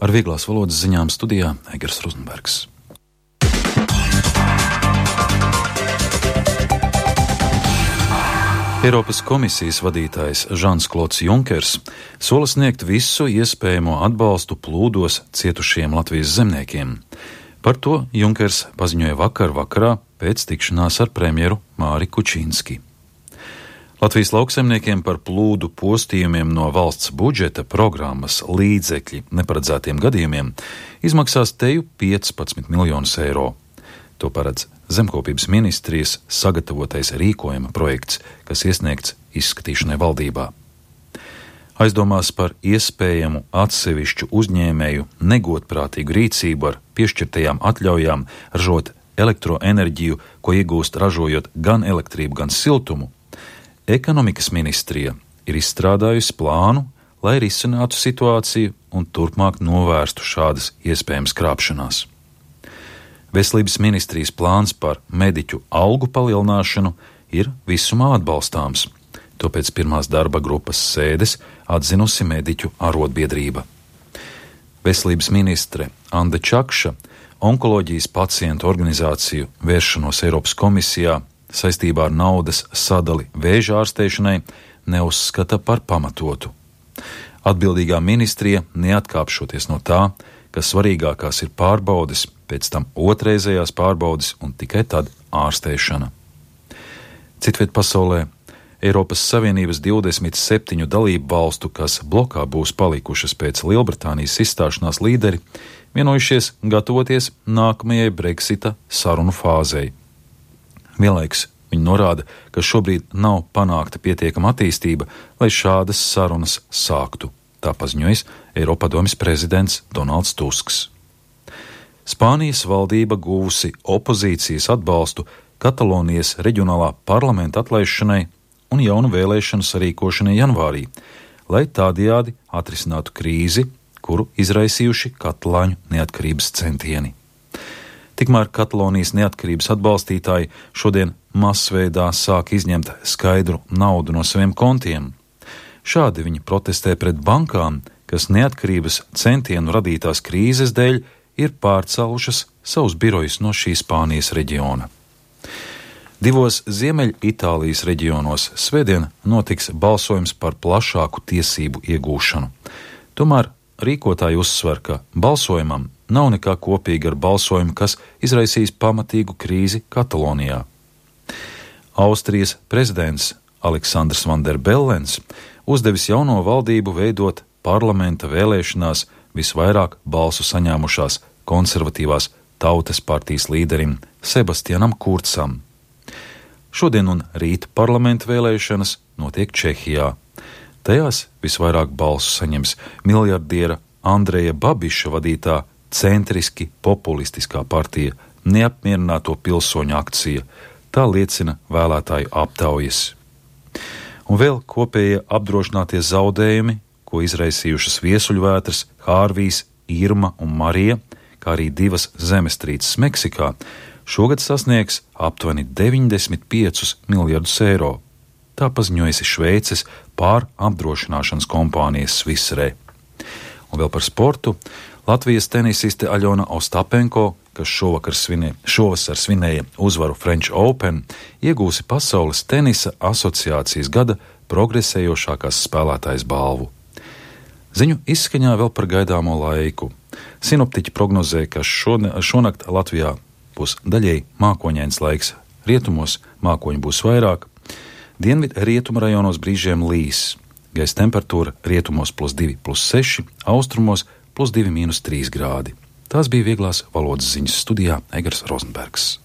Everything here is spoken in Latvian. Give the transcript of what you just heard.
Ar vieglās valodas ziņām studijā Egers Rozenbergs. Eiropas komisijas vadītājs Žans-Klods Junkers sola sniegt visu iespējamo atbalstu plūdos cietušiem Latvijas zemniekiem. Par to Junkers paziņoja vakar vakarā pēc tikšanās ar premjeru Māri Kučinski. Latvijas lauksaimniekiem par plūdu postījumiem no valsts budžeta programmas līdzekļi neparedzētiem gadījumiem izmaksās teju 15 miljonus eiro. To paredz Zemkopības ministrijas sagatavotais rīkojuma projekts, kas iesniegts izskatīšanai valdībā. Aizdomās par iespējamu atsevišķu uzņēmēju negodprātīgu rīcību ar piešķirtajām atļaujām ražot elektroenerģiju, ko iegūst ražojot gan elektrību, gan siltumu, Ekonomikas ministrija ir izstrādājusi plānu, lai risinātu situāciju un turpmāk novērstu šādas iespējamas krāpšanās. Veselības ministrijas plāns par mediķu algu palielināšanu ir visumā atbalstāms. To pēc pirmās darba grupas sēdes atzinusi mediķu arotbiedrība. Veselības ministre Anda Čakša onkoloģijas pacientu organizāciju vēršanos Eiropas komisijā saistībā ar naudas sadali vēža ārstēšanai neuzskata par pamatotu. Atbildīgā ministrija neatkāpšoties no tā, ka svarīgākās ir pārbaudes, pēc tam otrreizējās pārbaudes un tikai tad ārstēšana. Citviet pasaulē Eiropas Savienības 27 dalību valstu, kas blokā būs palikušas pēc Lielbritānijas izstāšanās līderi, vienojušies gatavoties nākamajai Brexita sarunu fāzei. Vienlaikus viņi norāda, ka šobrīd nav panākta pietiekama attīstība, lai šādas sarunas sāktu. Tā paziņojas Eiropadomes prezidents Donalds Tusks. Spānijas valdība guvusi opozīcijas atbalstu Katalonijas reģionālā parlamenta atlaišanai un jaunu vēlēšanu sarīkošanai janvārī, lai tādējādi atrisinātu krīzi, kuru izraisījuši katalāņu neatkarības centieni. Tikmēr Katalonijas neatkarības atbalstītāji šodien masveidā sāk izņemt skaidru naudu no saviem kontiem. Šādi viņi protestē pret bankām, kas neatkarības centienu radītās krīzes dēļ ir pārcēlušas savus birojus no šī Spānijas reģiona. Divos Ziemeļitālijas reģionos svētdien notiks balsojums par plašāku tiesību iegūšanu. Tomēr rīkotāji uzsver, ka balsojumam nav nekā kopīga ar balsojumu, kas izraisīs pamatīgu krīzi Katalonijā. Austrijas prezidents Aleksandrs Van der Bellens uzdevis jauno valdību veidot parlamenta vēlēšanās visvairāk balsu saņēmušās konservatīvās tautas partijas līderim Sebastianam Kurcam. Šodien un rīt parlamenta vēlēšanas notiek Čehijā. Tajās visvairāk balsu saņems miljardiera Andreja Babiša vadītā centriski populistiskā partija Neapmierināto pilsoņu akcija. Tā liecina vēlētāju aptaujas. Un vēl kopējie apdrošinātie zaudējumi, ko izraisījušas viesuļvētras Hārvijs, Irma un Marija, kā arī divas zemestrīces Meksikā, šogad sasniegs aptuveni 95 miljardus eiro. Tā paziņojusi Šveices pārapdrošināšanas kompānijas Swisre. Un vēl par sportu. Latvijas tenisiste Aļona Ostapenko, kas šovasar svinēja uzvaru French Open, iegūsi Pasaules tenisa asociācijas gada progresējošākās spēlētājas balvu. Ziņu izskaņā vēl par gaidāmo laiku. Sinoptiķi prognozē, ka šonakt Latvijā būs daļēji mākoņains laiks. Rietumos mākoņu būs vairāk, dienvidu rietumu rajonos brīžiem līs. Gaisa temperatūra rietumos +2, +6, austrumos +2, -3 grādi. Tās bija vieglās valodas ziņas studijā Egers Rozenbergs.